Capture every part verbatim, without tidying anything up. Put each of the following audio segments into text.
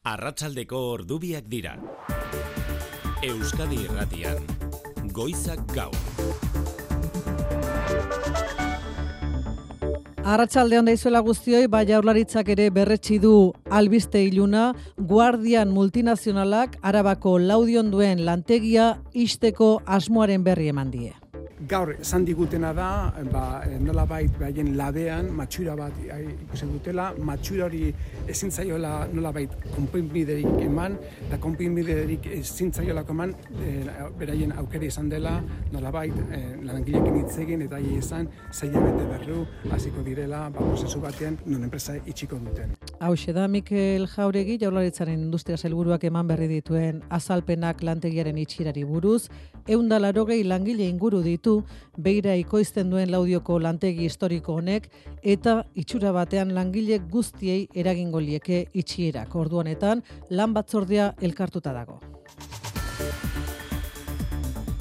Arratsaldeko ordubiak dira. Euskadi Irratian, Goizak Gaur. Arratsalde on daizuela guztioi, ba Jaurlaritzak ere berretsi du albiste iluna, Guardian multinazionalak Arabako Laudion duen lantegia ixteko asmoaren berri eman die. Gaur esan digutena da, ba, nolabait baien labean matxura bat ikusi dutela, matxura hori ezin zaiola nolabait konponbiderik eman, eta konponbiderik ezin zaiolako eman, e, beraien aukera izan dela, nolabait e, langileekin hitz egin eta haiei esan sei hilabete berru hasiko direla, ba, prozesu batean non enpresa itxiko duten. Hauxe da Mikel Jauregi, Jaurlaritzaren industria sailburuak eman berri dituen azalpenak lantegiaren itxierari buruz, ehun eta laurogei langile inguru ditu beira ikoizten duen Laudioko lantegi historiko honek eta itxura batean langile guztiei eragingo lieke itxierak. Ordu honetan lan batzordea elkartuta dago.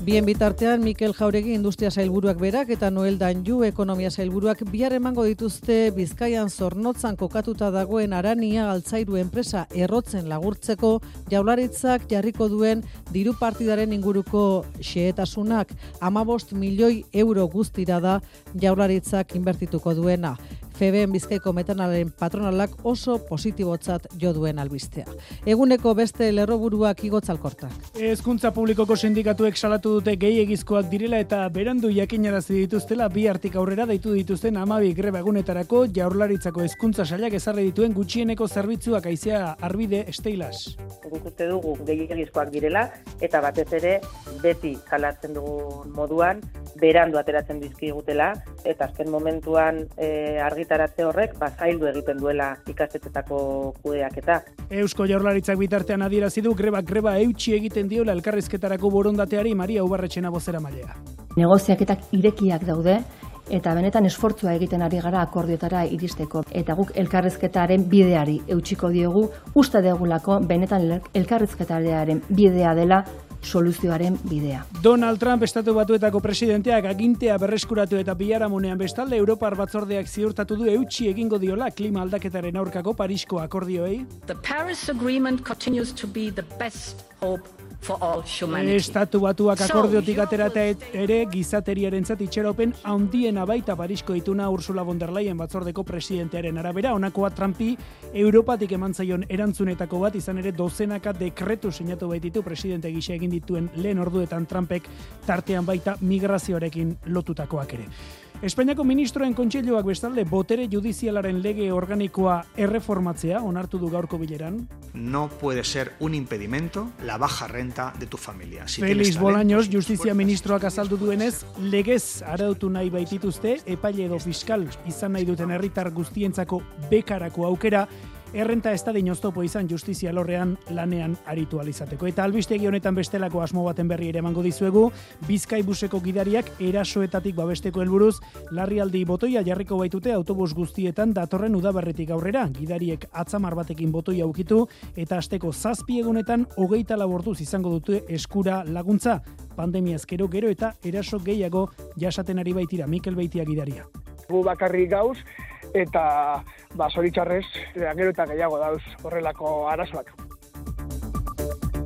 Bien bitartean, Mikel Jauregi industria sailburuak berak eta Noel Danju ekonomia sailburuak bihar emango dituzte Bizkaian Zornotzan kokatuta dagoen Arania Altzairu enpresa errotzen lagurtzeko Jaurlaritzak jarriko duen diru partidaren inguruko xehetasunak hamabost milioi euro guztira da Jaurlaritzak inbertituko duena. Feben Bizkaiko metanaren patronalak oso positibotzat jo duen albistea. Eguneko beste lerroburuak igotz alkortak. Hezkuntza publikoko sindikatuek salatu dute gehiegizkoak direla eta berandu jakinarazi dituztela bi hartik aurrera deitu dituzten hamabi greba egunetarako Jaurlaritzako hezkuntza sailak ezarri dituen gutxieneko zerbitzuak haizea arbide esteilas. Guk uste dugu gehiegizkoak direla eta batez ere beti salatzen dugun moduan berandu ateratzen dizkigutela eta azken momentuan e, argitaratze horrek bazaildu egiten duela ikastetxetako kudeaketa. Eusko Jaurlaritzak bitartean adierazi du greba greba eutsi egiten diola elkarrizketarako borondateari Maria Ubarretxena bozeramailea. Negoziaketak irekiak daude eta benetan esfortzua egiten ari gara akordioetara iristeko eta guk elkarrizketaren bideari eutsiko diogu, uste degulako benetan elkarrizketaren bidea dela soluzioaren bidea. Donald Trump Estatu Batuetako presidenteak agintea berreskuratu eta biharamunean bestalde Europar batzordeak ziurtatu du eutsi egingo diola klima aldaketaren aurkako Parisko akordioei. The Paris Agreement continues to be the best hope for all humanity. Estatu Batuak akordiotik aterata ere gizateriarentzat itxaropen handiena baita Parisko ituna Ursula von der Leyen batzordeko presidentearen arabera, honakoa Trumpi Europatik eman zaion erantzunetako bat izan ere dozenaka dekretu sinatu baititu presidente gisa egin dituen lehen orduetan Trumpek tartean baita migrazioarekin lotutakoak ere. Espainiako ministroen kontseiluak bestalde botere judizialaren lege organikoa erreformatzea onartu du gaurko bileran. No puede ser un impedimento la baja renta de tu familia. Si Félix Bolaños, justizia ministroak azaldu duenez, legez arautu nahi baitituzte epaile edo fiskal izan nahi duten herritar guztientzako bekarako aukera, errenta ez da dinoztopo izan justizia lorrean lanean aritu alizateko. Eta albistegi honetan bestelako asmo baten berri ere emango dizuegu, Bizkai buseko gidariak erasoetatik babesteko helburuz, larrialdi botoia jarriko baitute autobus guztietan datorren udaberritik aurrera. Gidariek atzamar batekin botoia ukitu eta asteko zazpi egunetan hogeita lau orduz izango dute eskura laguntza. Pandemiaz gero gero eta eraso gehiago jasaten ari baitira. Mikel Beitia gidaria. Gu bakarrik gauz, eta ba, zoritxarrez, gero eta gehiago dauz horrelako arazoak.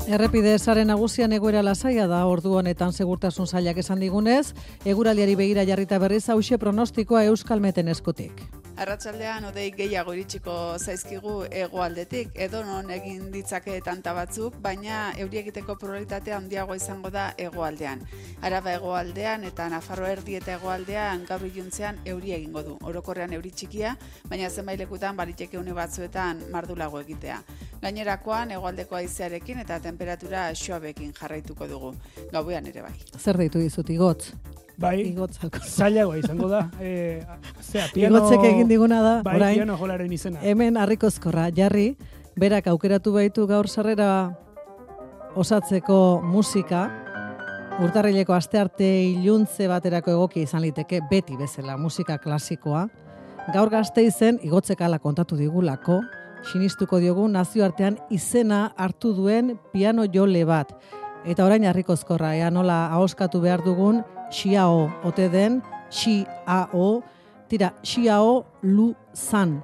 Errepide sare nagusian egoera lasaia da ordu honetan segurtasun sailak esan digunez, eguraldiari begira jarrita berriz hauxe pronostikoa Euskalmeten eskutik. Arratsaldean hodei gehiago iritsiko zaizkigu hegoaldetik, edo non egin ditzake tanta batzuk, baina euri egiteko probabilitatea handiagoa izango da hegoaldean. Araba hegoaldean eta Nafarroa erdi eta hegoaldean gaur iluntzean euri egingo du. Orokorrean euri txikia, baina zenbait lekutan baliteke une batzuetan mardulago egitea. Gainerakoan hegoaldeko haizearekin eta temperatura suabekin jarraituko dugu. Gauean ere bai. Zer deitu dizut igotz? Bai, zailagoa izango da. E, zera, piano... Igotzek egin diguna da, bai, orain, piano jolaren izena. Hemen harrikozkorra, jarri, berak aukeratu baitu gaur sarrera osatzeko musika, urtarrileko astearte iluntze baterako egokia izan liteke, beti bezala musika klasikoa. Gaur Gasteizen, Igotzek hala kontatu digulako, sinistuko diogu nazioartean izena hartu duen piano jole bat. Eta orain harrikozkorra, ea nola ahoskatu behar dugun, Xiao ote den, Xiao, tira, Xiao Lu San.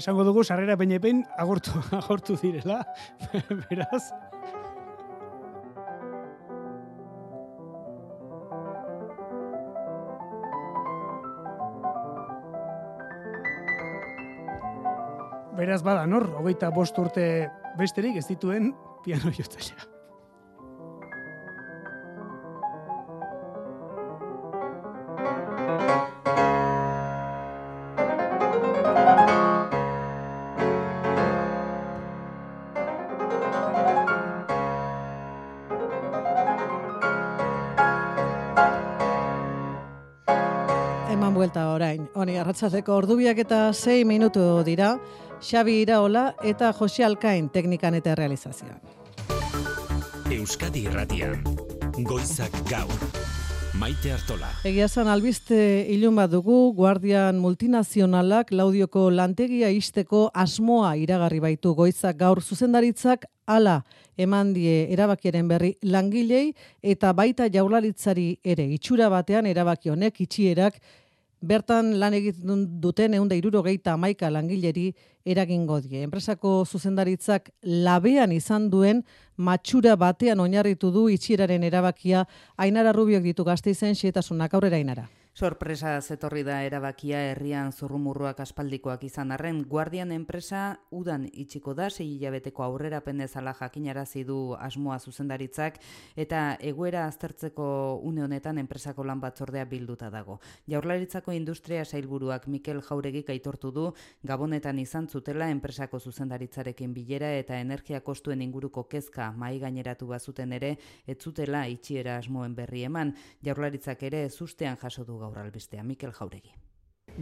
Esango dugu sarrera peñepen agortu, agortu direla, beraz. Beraz bada, nor, hogeita bost urte besterik ez dituen piano jotzailea. Eman buelta orain. Honi, arratsaldeko ordubiak eta sei minutu dira. Xabi Iraola eta Jose Alkain teknikan eta realizazioan. Euskadi Irratian, Goizak Gaur, Maite Artola. Egia esan albiste ilun bat dugu, Guardian multinazionalak Laudioko lantegia ixteko asmoa iragarri baitu. Goizak Gaur zuzendaritzak hala eman die erabakiaren berri langilei eta baita Jaurlaritzari ere. Itxura batean erabaki honek itxierak bertan lan egiten duten ehun eta hirurogeita hamaika langileri eragingo die. Enpresako zuzendaritzak labean izan duen matxura batean oinarritu du itxieraren erabakia. Ainara Rubiok ditu Gasteizen xehetasunak. Aurrera, Ainara. Sorpresa zetorri da erabakia herrian zurrumurruak aspaldikoak izan arren, Guardian enpresa udan itxiko da, sei hilabeteko aurrerapen bezala jakinarazi du asmoa zuzendaritzak, eta egoera aztertzeko une honetan enpresako lan batzordea bilduta dago. Jaurlaritzako industria sailburuak Mikel Jauregik aitortu du Gabonetan izan zutela enpresako zuzendaritzarekin bilera eta energia kostuen inguruko kezka mahai gaineratu bazuten ere, ez zutela itxiera asmoen berri eman. Jaurlaritzak ere zustean jaso du gaur albistea. Mikel Jauregi.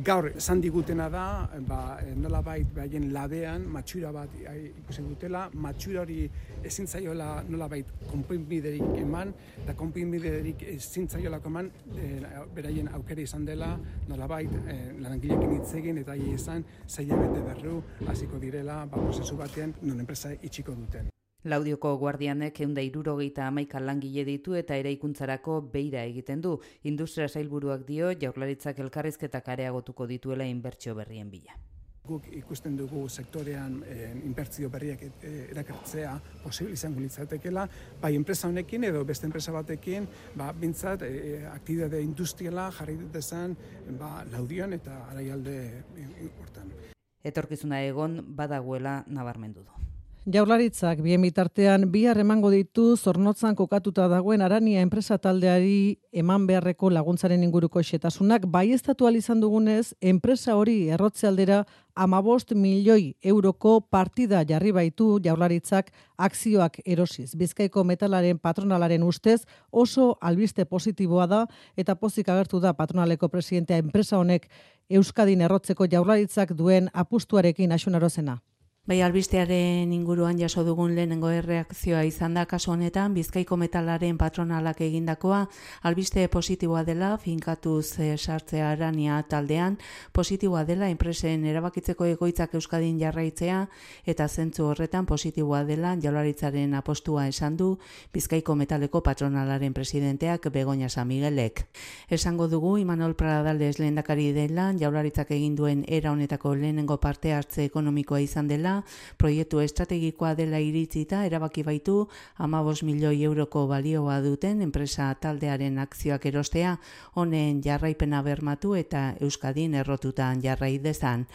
Gaur esan digutena da, ba, nolabait baien labean matxura bat ikusi dutela, matxura hori ezin zaiola nolabait konponbiderik eman, eta konponbiderik ezin zaiolako eman, e, beraien aukera izan dela, nolabait e, langileekin hitz egin eta hi izan zaila bete berru hasiko direla, ba, prozesu batean non enpresa itxiko duten. Laudioko Guardianek ehun eta hirurogeita hamaika langile ditu eta eraikuntzarako beira egiten du. Industria sailburuak dio Jaurlaritzak elkarrizketak areagotuko dituela inbertsio berrien bila. Guk ikusten dugu sektorean e, inbertsio berriak e, erakartzea posible izango litzatekeela, bai enpresa honekin edo beste enpresa batekin, ba bintzat e, aktibitate industriala jarri dezan ba Laudion eta Araialde hortan. Etorkizuna egon badagoela nabarmendu du. Jaurlaritzak bien bitartean bihar emango ditu Zornotzan kokatuta dagoen Arania enpresa taldeari eman beharreko laguntzaren inguruko xetasunak. Baieztatu ahal izan dugunez, enpresa hori errotze aldera hamabost milioi euroko partida jarri baitu Jaurlaritzak akzioak erosiz. Bizkaiko metalaren patronalaren ustez oso albiste positiboa da eta pozik agertu da patronaleko presidentea enpresa honek Euskadin errotzeko Jaurlaritzak duen apustuarekin Axunarozena. Bai, albistearen inguruan jaso dugun lehenengo erreakzioa izan da kasu honetan, Bizkaiko metalaren patronalak egindakoa, albiste positiboa dela, finkatuz e, sartzea Arania taldean, positiboa dela enpresen erabakitzeko egoitzak Euskadin jarraitzea, eta zentzu horretan positiboa dela Jaurlaritzaren apostua esan du Bizkaiko metaleko patronalaren presidenteak Begoña San Miguelek. Esango dugu, Imanol Pradales lehendakari dela, Jaurlaritzak egin duen era honetako lehenengo parte hartze ekonomikoa izan dela, proiektu estrategikoa dela iritzita erabaki baitu hamabost milioi euroko balioa duten enpresa taldearen akzioak erostea, honen jarraipena bermatu eta Euskadin errotutan jarrai dezan.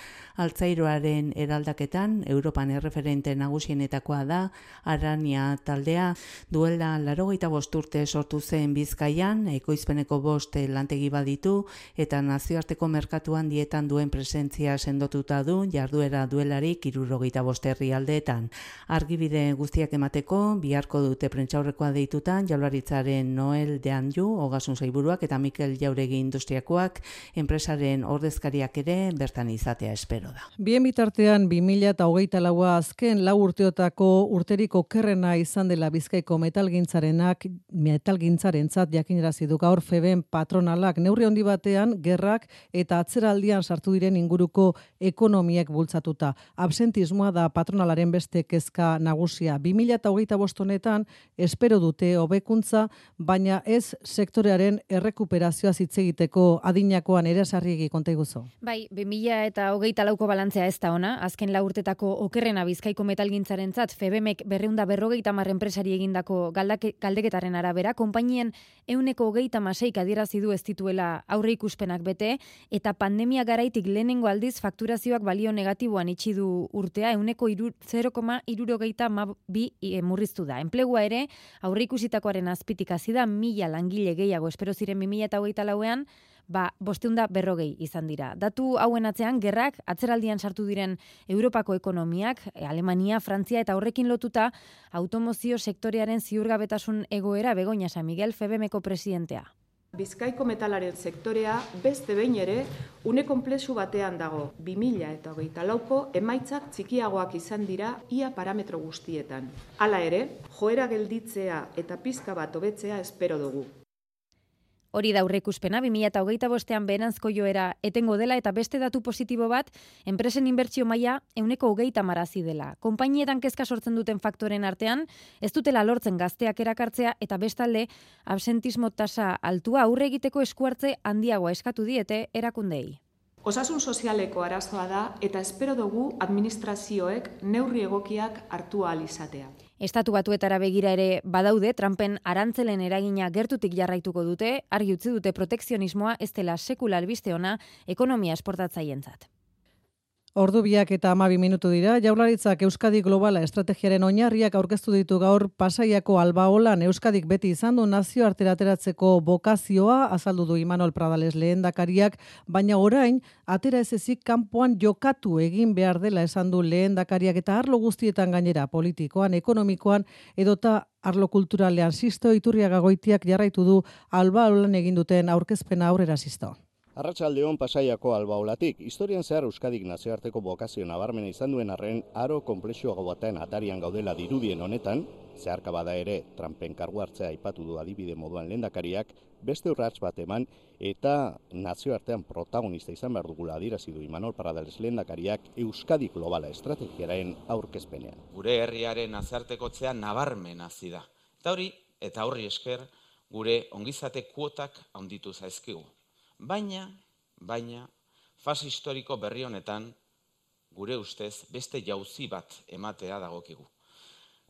Altzairoaren eraldaketan Europan erreferente nagusienetakoa da Arania taldea, duela laurogeita bost urte sortu zen Bizkaian, ekoizpeneko bost lantegi baditu eta nazioarteko merkatuan dietan duen presentzia sendotuta du, jarduera duelarik hirurogeita bost herrialdeetan. Argibide guztiak emateko biharko dute prentsaurrekoa deitutan Jaurlaritzaren Noel de Anju, Ogasun Sailburuak eta Mikel Jauregi industriakoak, enpresaren ordezkariak ere bertan izatea espero da. Bien bitartean bi mila hogeita laua azken lau urteotako urterik okerrena izan dela Bizkaiko metalgintzarenak metalgintzarentzat jakinarazi du gaur Feben patronalak. Neurri handi batean gerrak eta atzeraldian sartu diren inguruko ekonomiak bultzatuta. Absentismo absentismoa da patronalaren beste kezka nagusia. bi mila hogeita bost honetan espero dute hobekuntza, baina ez sektorearen errekuperazioa hitz egiteko adinakoan ere sarriegi konta iguzu. Bai, bi mila hogeita lauko balantzea ez da ona, azken lau urtetako okerrena Bizkaiko metalgintzarentzat Febemek berrehun eta berrogeita hamar enpresari egindako galdeketaren arabera, konpainien ehuneko hogeita hamaseik adierazi du ez dituela aurre ikuspenak bete, eta pandemia garaitik lehenengo aldiz fakturazioak balio negatiboan itxi du urtea, ehuneko zero koma hirurogeita hamabi murriztu da. Enplegua ere, aurre ikusitakoaren azpitik hasi da mila langile gehiago espero ziren bi mila hogeita lauean, ba, bosteun da berrogei izan dira. Datu hauen atzean, gerrak, atzeraldian sartu diren Europako ekonomiak, Alemania, Frantzia eta horrekin lotuta, automozio sektorearen ziurgabetasun egoera Begoña San Miguel Febemeko presidentea. Bizkaiko metalaren sektorea beste behin ere une konplexu batean dago. bi mila hogeita lauko emaitzak txikiagoak izan dira ia parametro guztietan. Hala ere, joera gelditzea eta pizka bat hobetzea espero dugu. Hori da aurreikuspena, bi mila hogeita bostean beheranzko joera etengo dela eta beste datu positibo bat, enpresen inbertsio maila ehuneko hogeita hamarazi dela. Konpainietan kezka sortzen duten faktoren artean, ez dutela lortzen gazteak erakartzea eta bestalde absentismo tasa altua aurre egiteko eskuartze handiagoa eskatu diete erakundei. Osasun sozialeko arazoa da eta espero dugu administrazioek neurri egokiak hartu ahal izatea. Estatu Batuetara begira ere badaude, Trumpen arantzelen eragina gertutik jarraituko dute, argi utzi dute protekzionismoa ez dela sekula albiste ona ekonomia esportatzaientzat. Ordu biak eta hamabi minutu dira, Jaurlaritzak Euskadi Globala estrategiaren oinarriak aurkeztu ditu gaur Pasaiako Albaolan. Euskadik beti izan du nazioartera ateratzeko bokazioa, azaldu du Imanol Pradales lehendakariak, baina orain atera ez ezik kanpoan jokatu egin behar dela esan du lehendakariak eta arlo guztietan gainera politikoan, ekonomikoan edota arlo kulturalean. Sisto Iturriaga Goitiak jarraitu du Albaolan egin duten aurkezpena aurrera Sisto. Arratsaldeon Pasaiako Albaolatik, historian zehar Euskadik nazioarteko bokazio nabarmena izan duen arren aro konplexuago batean atarian gaudela dirudien honetan, zeharka bada ere Trumpen kargu hartzea aipatu du adibide moduan lehendakariak, beste urrats bat eman eta nazioartean protagonista izan behar dugula adierazi du Imanol Pradales lehendakariak Euskadi Globala estrategiaren aurkezpenean. Gure herriaren nazartekotzea nabarmen hasi da. Eta hori, eta horri esker, gure ongizate kuotak handitu zaizkigu. Baina, baina, fase historiko berri honetan, gure ustez, beste jauzi bat ematea dagokigu.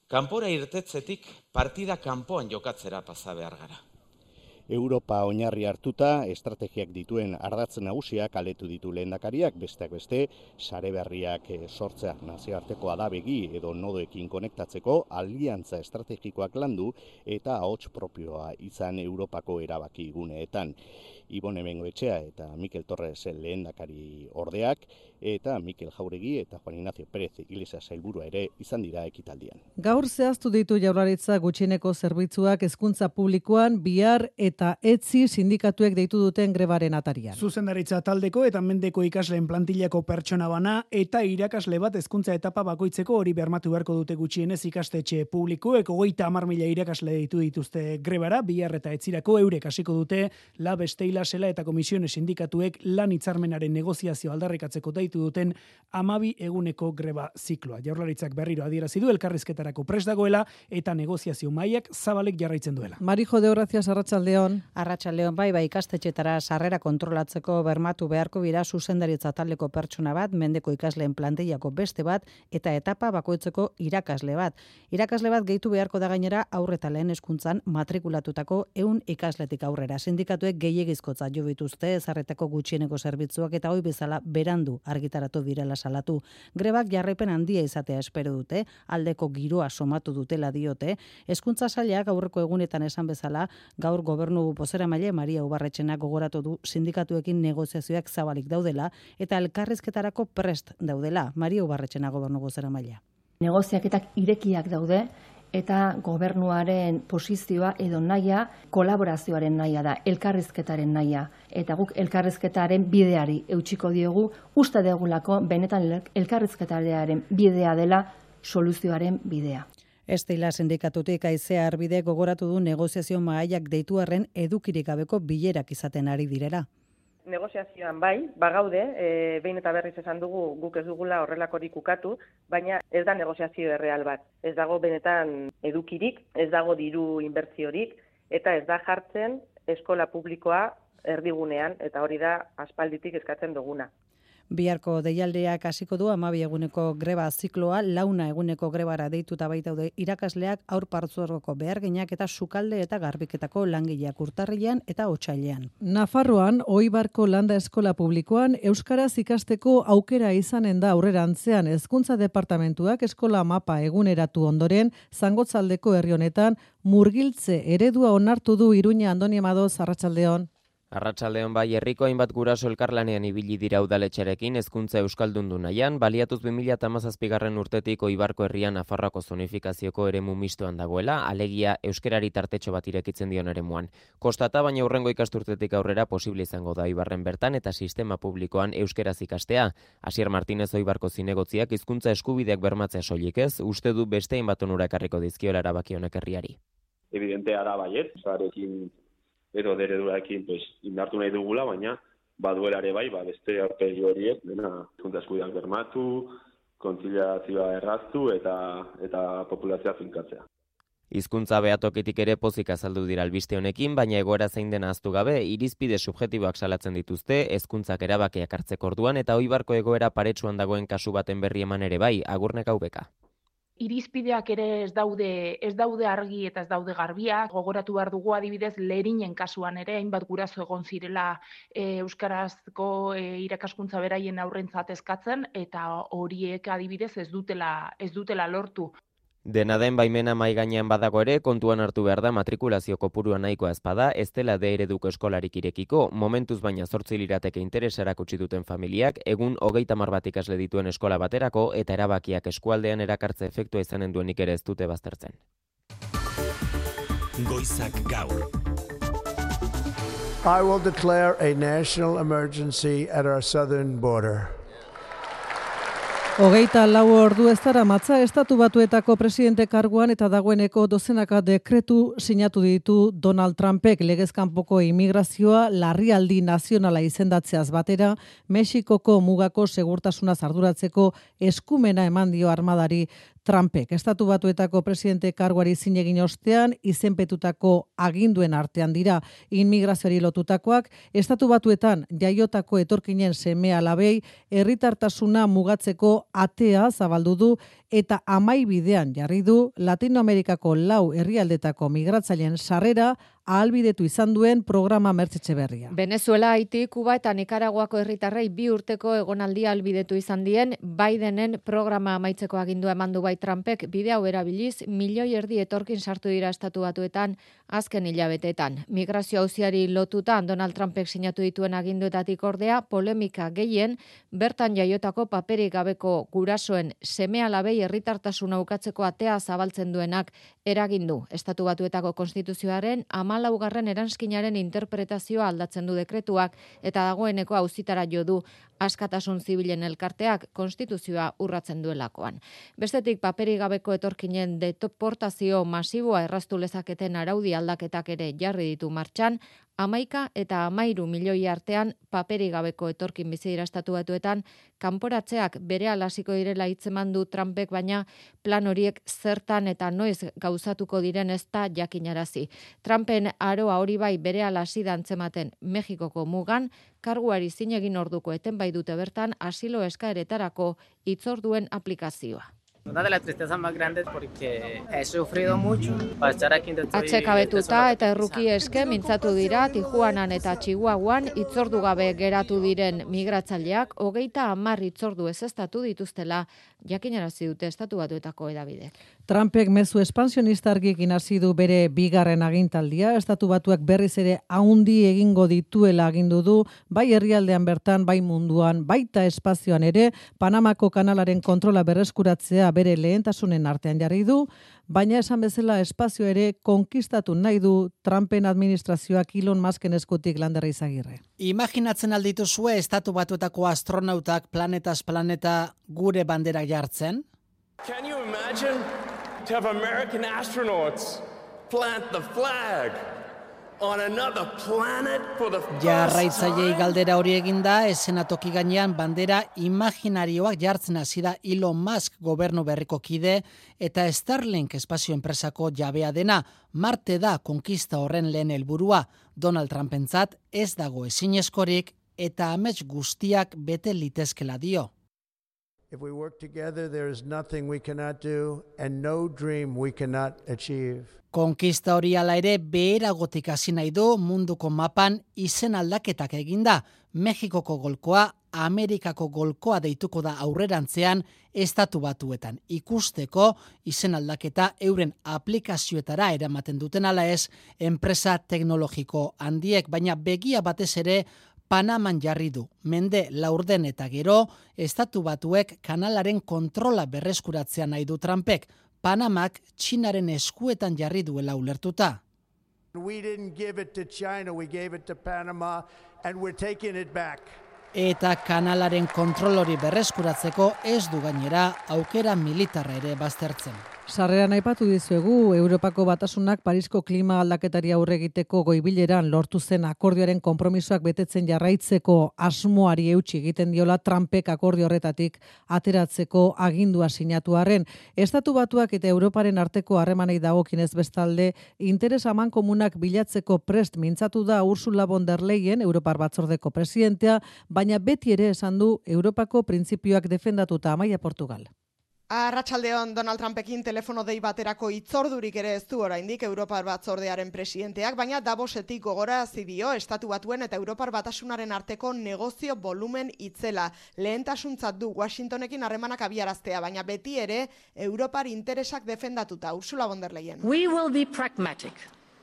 Kanpora irtetzetik partida kanpoan jokatzera pasa behar gara. Europa oinarri hartuta, estrategiak dituen ardatz nagusiak aletu ditu lehendakariak, besteak beste, sare berriak sortzea nazioartekoa da begi edo nodoekin konektatzeko, aliantza estrategikoak landu eta ahots propioa izan Europako erabaki guneetan. Ibone Bengoetxea eta Mikel Torres lehendakari ordeak, eta Mikel Jauregi eta Juan Ignacio Pérez Iglesias sailburua ere izan dira ekitaldian. Gaur zehaztu ditu Jaurlaritza gutxieneko zerbitzuak hezkuntza publikoan bihar eta etzi sindikatuek deitu duten grebaren atarian. Zuzendaritza taldeko eta mendeko ikasleen plantillako pertsona bana eta irakasle bat hezkuntza etapa bakoitzeko hori bermatu beharko dute gutxienez ikastetxe publikoek hogeita hamar mila irakasle deitu dituzte grebara, bihar eta etzirako eurek hasiko dute la beste Sela eta komisiones sindikatuek lan hitzarmenaren negoziazio aldarrikatzeko deitu duten hamabi eguneko greba zikloa. Jaurlaritzak berriro adierazi du elkarrizketarako prest dagoela eta negoziazio mailak zabalek jarraitzen duela. Marijo de Horacias, arratsaldeon. Arratsaldeon, bai, bai, ikastetxetara sarrera kontrolatzeko bermatu beharko bira zuzendaritza taldeko pertsona bat, mendeko ikasleen plantillako beste bat eta etapa bakoitzeko irakasle bat. Irakasle bat gehitu beharko da gainera aurre eta lehen hezkuntzan matrikulatutako ehun ikasletik aurrera. Sindikatuek gehiegizko jo bituzte ezarretako gutxieneko zerbitzuak eta hoi bezala berandu argitaratu direla salatu. Grebak jarraipen handia izatea espero dute, aldeko giroa somatu dutela diote. Hezkuntza sailak aurreko egunetan esan bezala, gaur gobernu bozeramaile Maria Ubarretxenak gogoratu du sindikatuekin negoziazioak zabalik daudela eta elkarrizketarako prest daudela. Maria Ubarretxenak gobernu bozeramailea. Negoziaketak irekiak daude, eta gobernuaren posizioa edo naia, kolaborazioaren naia da, elkarrizketaren naia. Eta guk elkarrizketaren bideari eutxiko diogu, uste degulako benetan elkarrizketaren bidea dela soluzioaren bidea. Estela sindikatutik Aizea Arbide gogoratu du negoziazio mahaiak deitu arren edukirik gabeko bilerak izaten ari direla. Negoziazioan bai, bagaude, e, behin eta berriz esan dugu guk ez dugula horrelakorik ukatu, baina ez da negoziazio erreal bat. Ez dago benetan edukirik, ez dago diru inbertziorik, eta ez da jartzen eskola publikoa erdigunean, eta hori da aspalditik eskatzen duguna. Biharko deialdeak hasiko du hamabi eguneko greba zikloa, launa eguneko grebara deituta baitaude irakasleak, haur partzuergoko beharginak eta sukalde eta garbiketako langileak urtarrilean eta otsailean. Nafarroan, Oibarko Landa Eskola Publikoan, euskaraz ikasteko aukera izanen da aurrerantzean Hezkuntza Departamentuak eskola mapa eguneratu ondoren, Zangotzaldeko herri honetan murgiltze eredua onartu du Iruña. Andoni Amadoz, arratsaldeon. Arratsaldeon bai, herriko hainbat guraso elkarlanean ibili dira udaletxerekin hezkuntza euskaldundu nahian, baliatuz bi mila hamazazpigarren urtetik Oibarko herrian Nafarroako zonifikazioko eremu mistoan dagoela, alegia euskerari tartetxo bat irekitzen dion eremuan. Kostata baina hurrengo ikasturtetik aurrera posible izango da Oibarren bertan eta sistema publikoan euskeraz ikastea. Asier Martinez Oibarko zinegotziak hizkuntza eskubideak bermatzea soilik ez, uste du beste hainbat onura ekarriko dizkiola erabaki honek herriari. Evidentea da baiet, zarekin edo dereduraekin pues, indartu nahi dugula, baina baduela ere bai, ba, beste aurpegi horiek, dena hizkuntza eskubideak bermatu, kontziliazioa erraztu eta eta populazioa finkatzea. Hizkuntza behatokitik ere pozik azaldu dira albiste honekin, baina egoera zein dena ahaztu gabe, irizpide subjektiboak salatzen dituzte, hezkuntzak erabakiak hartzeko orduan eta Oibarko egoera paretsuan dagoen kasu baten berri eman ere bai, Agurnek Aubeka. Irizpideak ere ez daude ez daude argi eta ez daude garbiak. Gogoratu behar dugu adibidez Lerinen kasuan ere hainbat guraso egon zirela e, euskarazko e, irakaskuntza beraien aurrentzat eskatzen eta horiek adibidez ez dutela ez dutela lortu. Dena den baimena mai gainean badago ere, kontuan hartu behar da matrikulazio kopurua nahikoa ezpada, ez dela de ereduko eskolarik irekiko, momentuz baina zortzi lirateke interesarak utzi duten familiak, egun hogeita hamar bat ikasle dituen eskola baterako eta erabakiak eskualdean erakartze efektua izanen duenik ere ez dute baztertzen. Goizak gaur. I will declare a national emergency at our southern border. Hogeita lau ordu ez dara matza Estatu Batuetako presidente karguan eta dagoeneko dozenaka dekretu sinatu ditu Donald Trumpek legezkanpoko immigrazioa larrialdi nazionala izendatzeaz batera, Mexikoko mugako segurtasuna arduratzeko eskumena eman dio armadari Trumpek. Estatu Batuetako presidente karguari zin egin ostean, izenpetutako aginduen artean dira immigrazioari lotutakoak, Estatu Batuetan jaiotako etorkinen seme alabei herritartasuna mugatzeko atea zabaldu du eta amai bidean jarri du Latinoamerikako lau herrialdetako migratzaileen sarrera ahalbidetu izan duen programa Mertzetxe berria. Venezuela, Haiti, Kuba eta Nikaraguako herritarrei bi urteko egonaldia ahalbidetu izan dien Bidenen programa amaitzeko agindua eman du bai Trumpek, bide hau erabiliz milioi erdi etorkin sartu dira Estatu Batuetan azken hilabeteetan. Migrazio auziari lotuta Donald Trumpek sinatu dituen aginduetatik ordea polemika gehien bertan jaiotako paperik gabeko gurasoen seme-alabei herritartasuna ukatzeko atea zabaltzen duenak eragindu. Estatu Batuetako konstituzioaren hamalaugarren eranskinaren interpretazioa aldatzen du dekretuak eta dagoeneko auzitara jo du askatasun zibilen elkarteak konstituzioa urratzen duelakoan. Bestetik paperik gabeko etorkinen deportazio masiboa erraztu lezaketen araudi aldaketak ere jarri ditu martxan, hamaika eta hamairu milioi artean paperik gabeko etorkin bizi dira Estatu Batuetan, kanporatzeak berehala hasiko direla hitzeman du Trumpek, baina plan horiek zertan eta noiz gauzatuko diren ez da jakinarazi. Trumpen aroa hori bai berehala hasi da antzematen Mexikoko mugan, karguari zin egin orduko eten bai dute bertan asilo eskaeretarako hitzorduen aplikazioa. Una de las tristezas más grandes porque he sufrido mucho para estar aquí donde estoy. Atsekabetuta eta erruki eske mintzatu dira Tijuanan eta Chihuahuan hitzordu gabe geratu diren migratzaileak hogeita hamar hitzordu ezeztatu dituztela jakinarazi dute Estatu Batuetako hedabidek. Trumpek mezu espansionista argiekin hasi du bere bigarren agintaldia, Estatu Batuak berriz ere haundi egingo dituela agindu du, bai herrialdean bertan, bai munduan, baita espazioan ere, Panamako kanalaren kontrola berreskuratzea bere lehentasunen artean jarri du, baina esan bezala espazio ere konkistatu nahi du Trumpen administrazioak Elon Musken eskutik Landerra Izagirre. Imaginatzen aldituzue Estatu Batuetako astronautak planetaz planeta gure bandera jartzen? Can you imagine to have American astronauts plant the flag on another planet for the first Jarraitzaileei time? galdera hori eginda, eszenatoki gainean bandera imaginarioak jartzen hasi da Elon Musk gobernu berriko kide eta Starlink espazio enpresako jabea dena. Marte da konkista horren lehen helburua. Donald Trumpentzat ez dago ezinezkorik eta amets guztiak bete litezkela dio. If we work together, there is nothing we cannot do and no dream we cannot achieve. Konkista hori ala ere beheragotik hasi nahi du munduko mapan izen aldaketak eginda. Mexikoko golkoa, Amerikako golkoa deituko da aurrerantzean estatu batuetan. Ikusteko izen aldaketa euren aplikazioetara eramaten duten ala ez enpresa teknologiko handiek, baina begia batez ere Panaman jarri du. Mende laurden eta gero, estatu batuek kanalaren kontrola berreskuratzea nahi du Trumpek. Panamak Txinaren eskuetan jarri duela ulertuta. We didn't give it to China, we gave it to Panama and we're taking it back. Eta kanalaren kontrol hori berreskuratzeko ez du gainera aukera militarra ere baztertzen. Sarreran aipatu dizuegu, Europako Batasunak Parisko klima aldaketari aurre egiteko goibileran lortu zen akordioaren konpromisoak betetzen jarraitzeko asmoari eutsi egiten diola Trumpek akordio horretatik ateratzeko agindua sinatu arren. Estatu Batuak eta Europaren arteko harremanei dagokienez bestalde, interes amankomunak bilatzeko prest mintzatu da Ursula von der Leyen, Europar Batzordeko presidentea, baina beti ere esan du Europako printzipioak defendatuta. Amaia Portugal. Arratsaldeon, Donald Trumpekin telefono dei baterako hitzordurik ere ez du oraindik Europar Batzordearen presidenteak, baina Davosetik gogorarazi dio Estatu Batuen eta Europar Batasunaren arteko negozio volumen itzela. Lehentasuntzat du Washingtonekin harremanak abiaraztea, baina beti ere Europar interesak defendatuta. Ursula von der Leyen. We will be pragmatic.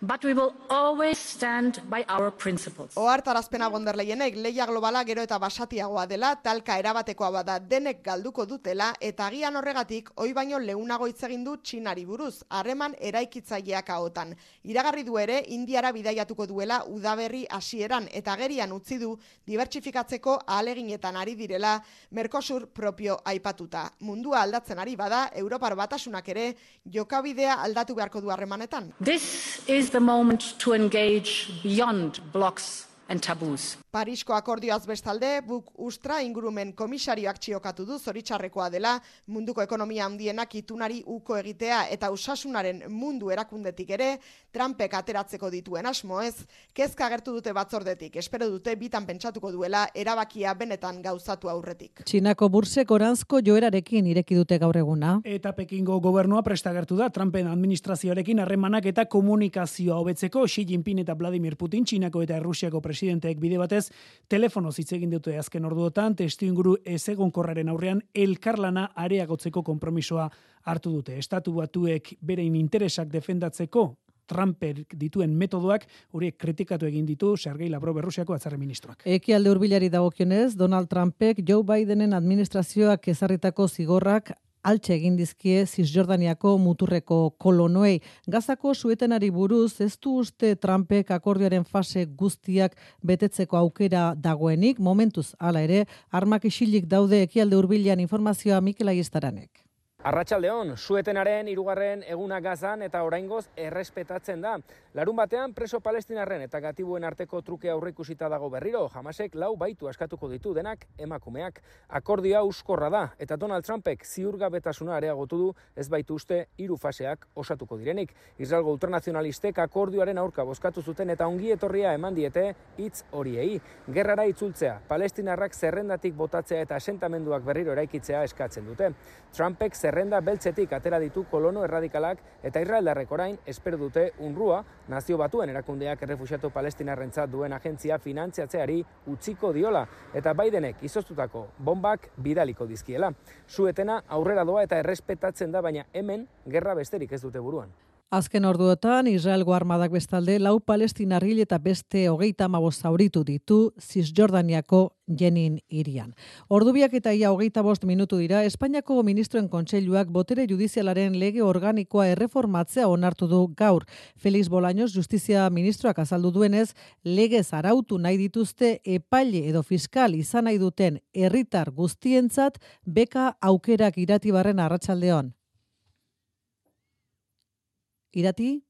But we will always stand by our principles. Ohartarazpena von der Leyenek lehia globala gero eta basatiagoa dela, talka erabatekoa bada denek galduko dutela, eta agian horregatik oi baino leunago hitz egin du Txinari buruz, harreman eraikitzaileak ahotan. Iragarri du ere Indiara bidaiatuko duela udaberri hasieran eta agerian utzi du dibertsifikatzeko ahaleginetan ari direla Mercosur propio aipatuta. Mundua aldatzen ari bada, Europar Batasunak ere jokabidea aldatu beharko du harremanetan. This is the moment to engage beyond blocks and taboos. Parisko akordioaz bestalde, Buk Ustra ingurumen komisarioak txiokatu du zoritxarrekoa dela munduko ekonomia handienak itunari uko egitea eta osasunaren mundu erakundetik ere Trumpek ateratzeko dituen asmo ez, kezka agertu dute batzordetik, espero dute bitan pentsatuko duela erabakia benetan gauzatu aurretik. Txinako bursek oranzko joerarekin ireki dute gaur eguna. Eta Pekingo gobernua prestagertu da Trumpen administrazioarekin harremanak eta komunikazioa hobetzeko. Xi Jinping eta Vladimir Putin, Txinako eta Errusiako presidenteek bide batez telefonoz hitz egin dute azken orduotan, testuinguru ezegonkorraren aurrean elkarlana areagotzeko konpromisoa hartu dute. Estatu Batuek berein interesak defendatzeko Trumpek dituen metodoak horiek kritikatu egin ditu Sergei Lavrov Errusiako batzarre ministroak. Ekialde hurbilari dagokionez, Donald Trumpek Joe Bidenen administrazioak ezarritako zigorrak altxe egin dizkie Cisjordaniako muturreko kolonoei. Gazako suetenari buruz ez du uste Trumpek akordioaren fase guztiak betetzeko aukera dagoenik, momentuz hala ere, armak isilik daude ekialde hurbilean informazioa Mikel Aiestaranek. Arratsaldeon, suetenaren hirugarren eguna Gazan eta oraingoz errespetatzen da. Larun batean preso palestinarren eta gatibuen arteko truke aurreikusita dago berriro. Hamasek lau baitu askatuko ditu denak emakumeak. Akordioa euskorra da eta Donald Trumpek ziurgabetasuna areagotu du ez baitu uste hiru faseak osatuko direnik. Israelgo ultranazionalistek akordioaren aurka bozkatu zuten eta ongi etorria eman diete hitz horiei. Gerrara itzultzea, palestinarrak zerrendatik botatzea eta asentamenduak berriro eraikitzea eskatzen dute. Trumpek zerrenda beltzetik atera ditu kolono erradikalak eta israeldarrek orain espero dute UNRWA, Nazio Batuen erakundeak errefuxiatu palestinarrentzat duen agentzia finantziatzeari utziko diola eta Bidenek izoztutako bombak bidaliko dizkiela. Suetena aurrera doa eta errespetatzen da, baina hemen gerra besterik ez dute buruan. Azken orduotan, Israelgo armadak bestalde lau palestinar hil eta beste hogeita hamabost zauritu ditu Cisjordaniako Jenin hirian. Ordubiak eta ia hogeita bost minutu dira, Espainiako ministroen kontseiluak botere judizialaren lege organikoa erreformatzea onartu du gaur. Felix Bolaños, justizia ministroak azaldu duenez, legez arautu nahi dituzte epaile edo fiskal izan nahi duten herritar guztientzat beka aukerak Iratibarren arratsaldeon. Irati?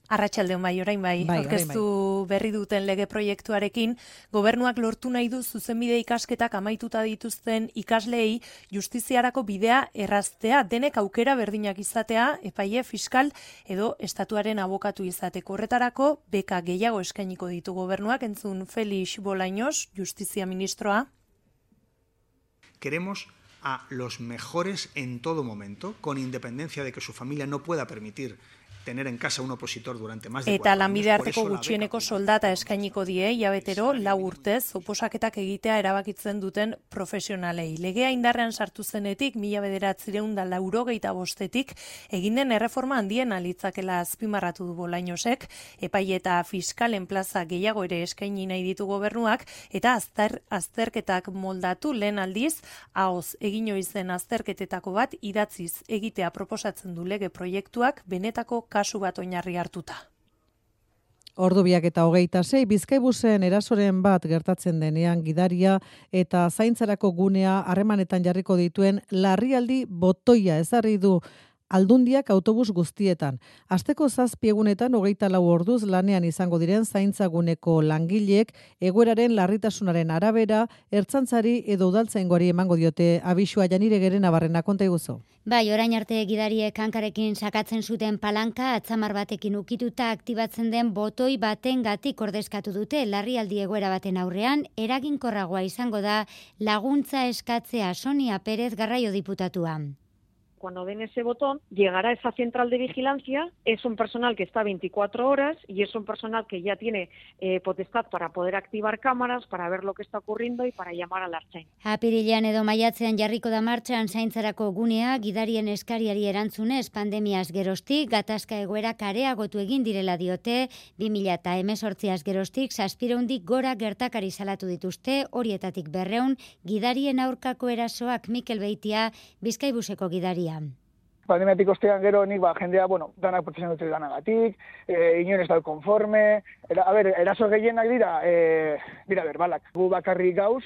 Arratsaldeon bai, orain bai, bai aurkeztu berri duten lege proiektuarekin, gobernuak lortu nahi du zuzenbide ikasketak amaituta dituzten ikasleei justiziarako bidea erraztea, denek aukera berdinak izatea, epaile, fiskal edo estatuaren abokatu izateko. Horretarako, beka gehiago eskainiko ditu gobernuak, entzun Felix Bolaños, justizia ministroa. Queremos a los mejores en todo momento, con independencia de que su familia no pueda permitir tener en casa un opositor durante más de Eta lanbide arteko gutxieneko soldata eskainiko die, hilabetero, lau urtez, oposaketak egitea erabakitzen duten profesionalei. Legea indarrean sartu zenetik, mila bederatzireun da laurogeita bostetik, egin den erreforma handien alitzakela azpimarratu du Bolañosek, epaile eta fiskalen plaza gehiago ere eskaini nahi ditu gobernuak, eta azter, azterketak moldatu lehen aldiz, ahoz egin oizen azterketetako bat idatziz egitea proposatzen du lege proiektuak benetako kasu bat oinarri hartuta. Ordu biak eta hogeita sei, Bizkaibusen erasoren bat gertatzen denean gidaria eta zaintzarako gunea harremanetan jarriko dituen larrialdi botoia ezarri du Aldundiak autobus guztietan. Asteko zazpi egunetan hogeita lau orduz lanean izango diren zaintzaguneko langileek egoeraren larritasunaren arabera ertzantzari edo udaltzaingoari emango diote abisua. Janire Geren Nabarrena, konta iguzu. Bai, orain arte gidariek hankarekin sakatzen zuten palanka atzamar batekin ukituta aktibatzen den botoi batengatik ordezkatu dute larrialdi egoera baten aurrean eraginkorragoa izango da laguntza eskatzea. Sonia Pérez, Garraio diputatua. Cuando den ese botón, llegará esa central de vigilancia, es un personal que está veinticuatro horas y es un personal que ya tiene eh, potestad para poder activar cámaras, para ver lo que está ocurriendo y para llamar a la Ertzain. Apirilean edo maiatzean jarriko da martxan zaintzarako gunea, gidarien eskariari erantzunez pandemiaz geroztik, gatazka egoerak areagotu egin direla diote, bi mila hemezortziaz geroztik, zazpireundik gora gertakari salatu dituzte, horietatik berreun, gidarien aurkako erasoak. Mikel Beitia, Bizkaibuseko gidaria. Pandemiatik ostean gero nik ba, jendea, bueno, danak protestan dute danagatik, e, inoen ez da konforme, era, a ber, eraso gehienak dira, e, dira berbalak, gu bakarrik gauz,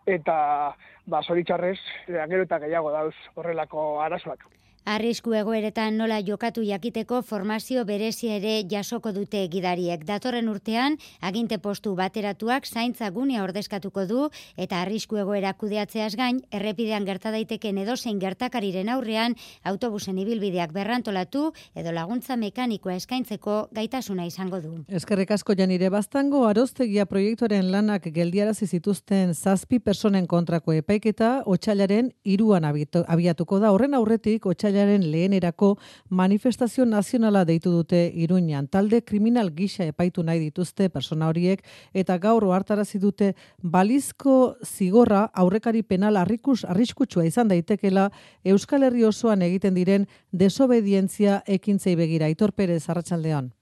eta ba, zoritxarrez, gero eta gehiago dauz horrelako arazoak. Arrisku egoeretan nola jokatu jakiteko formazio berezia ere jasoko dute gidariek. Datorren urtean, aginte postu bateratuak zaintza gunea ordezkatuko du eta arrisku egoera kudeatzeaz gain, errepidean gerta daiteken edozein gertakariren aurrean, autobusen ibilbideak berrantolatu edo laguntza mekanikoa eskaintzeko gaitasuna izango du. Eskerrik asko Janire. Baztango Aroztegia proiektuaren lanak geldiarazi zituzten zazpi personen kontrako epaiketa otsailaren hiruan abiatuko da. Horren aurretik otsailaren lehenerako manifestazio nazionala deitu dute Iruñan. Talde kriminal gisa epaitu nahi dituzte persona horiek eta gaur ohartarazi dute balizko zigorra aurrekari penal arrikus arriskutsua izan daitekela Euskal Herri osoan egiten diren desobedientzia ekintzei begira. Aitor Perez, arratsaldeon.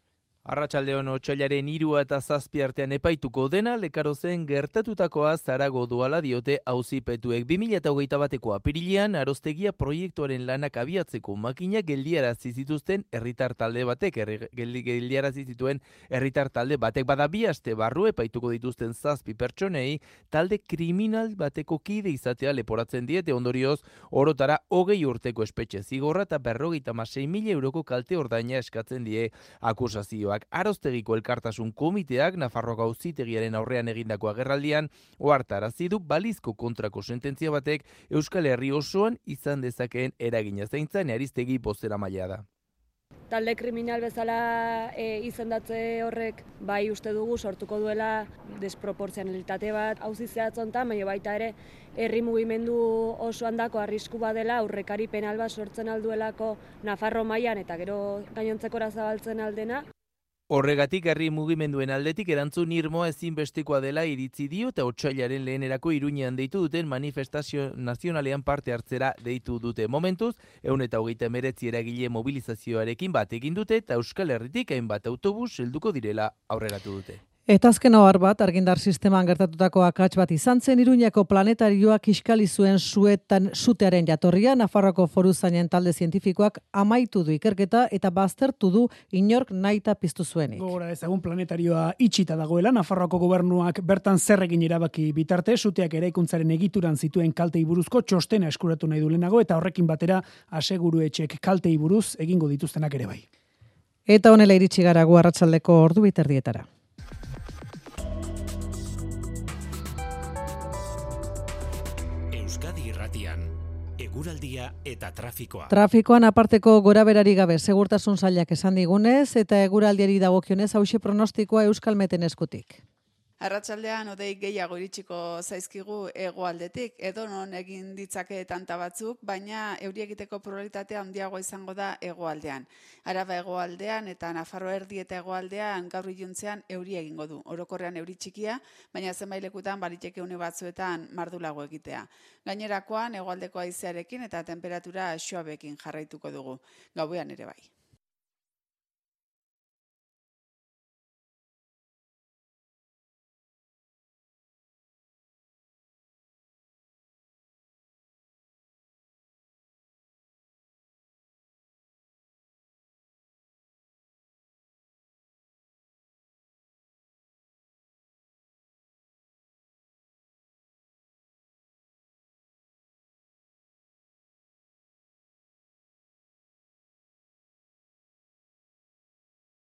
Arratsaldeon otsailaren hiru eta zazpi artean epaituko dena Lekarozen gertatutakoa zarago doala diote auzipetuek. bi mila hogeita bateko apirilean Aroztegia proiektuaren lanak abiatzeko makinak geldiarazi zituzten herritar talde batek, geldiarazi zituen herritar talde batek bada bi aste barru epaituko dituzten zazpi pertsonei talde kriminal bateko kide izatea leporatzen diete, ondorioz orotara hogei urteko espetxe zigorra eta berrogeita hamasei mila euroko kalte ordaina eskatzen die akusazioa. Aroztegiko elkartasun komiteak Nafarroako auzitegiaren aurrean egindako agerraldian ohartarazi du balizko kontrako sententzia batek Euskal Herri osoan izan dezakeen eragina. Zaintzan Aristegi bozeramailea da. Talde kriminal bezala e, izendatze horrek bai uste dugu sortuko duela desproportzionalitate bat auzi zehatzontan, baina baita ere herri mugimendu osoan dako arrisku badela aurrekari penal bat sortzen alduelako Nafarro mailan eta gero gainontzekora zabaltzen aldena. Horregatik herri mugimenduen aldetik erantzun irmoa ezinbestekoa dela iritzi dio eta otsailaren lehenerako Iruñean deitu duten manifestazio nazionalean parte hartzera deitu dute. Momentuz, ehun eta hogeita hemeretzi eragile mobilizazioarekin bat egin dute eta Euskal Herritik hainbat autobus helduko direla aurreratu dute. Eta azken ohar bat, argindar sisteman gertatutako akats bat izan zen, Iruñako planetarioak kiskali zuen suetan sutearen jatorria, Nafarroako foruzainen talde zientifikoak amaitu du ikerketa eta baztertu du inork nahita piztu zuenik. Gora ezagun planetarioa itxita dagoela, Nafarroako gobernuak bertan zerrekin erabaki bitarte, suteak eraikuntzaren egituran zituen kaltei buruzko txostena eskuratu nahi du lehenago eta horrekin batera aseguru etxek kaltei buruz egingo dituztenak ere bai. Eta honela iritsi gara gu arratsaldeko ordu biterdietara. Euskadi Irratian, eguraldia eta trafikoa. Trafikoan aparteko goraberari gabe segurtasun sailak esan digunez eta eguraldiari dagokionez hauxe pronostikoa Euskalmeten eskutik. Arratsaldean hodei gehiago iritsiko zaizkigu hegoaldetik, edo non egin ditzake tanta batzuk, baina euri egiteko probabilitatea handiagoa izango da hegoaldean. Araba hegoaldean eta Nafarro erdi eta hegoaldean gaur iluntzean euri egingo du. Orokorrean euri txikia, baina zenbait lekutan baliteke une batzuetan mardulago egitea. Gainerakoan hegoaldeko haizearekin eta temperatura suabeekin jarraituko dugu. Gauean ere bai.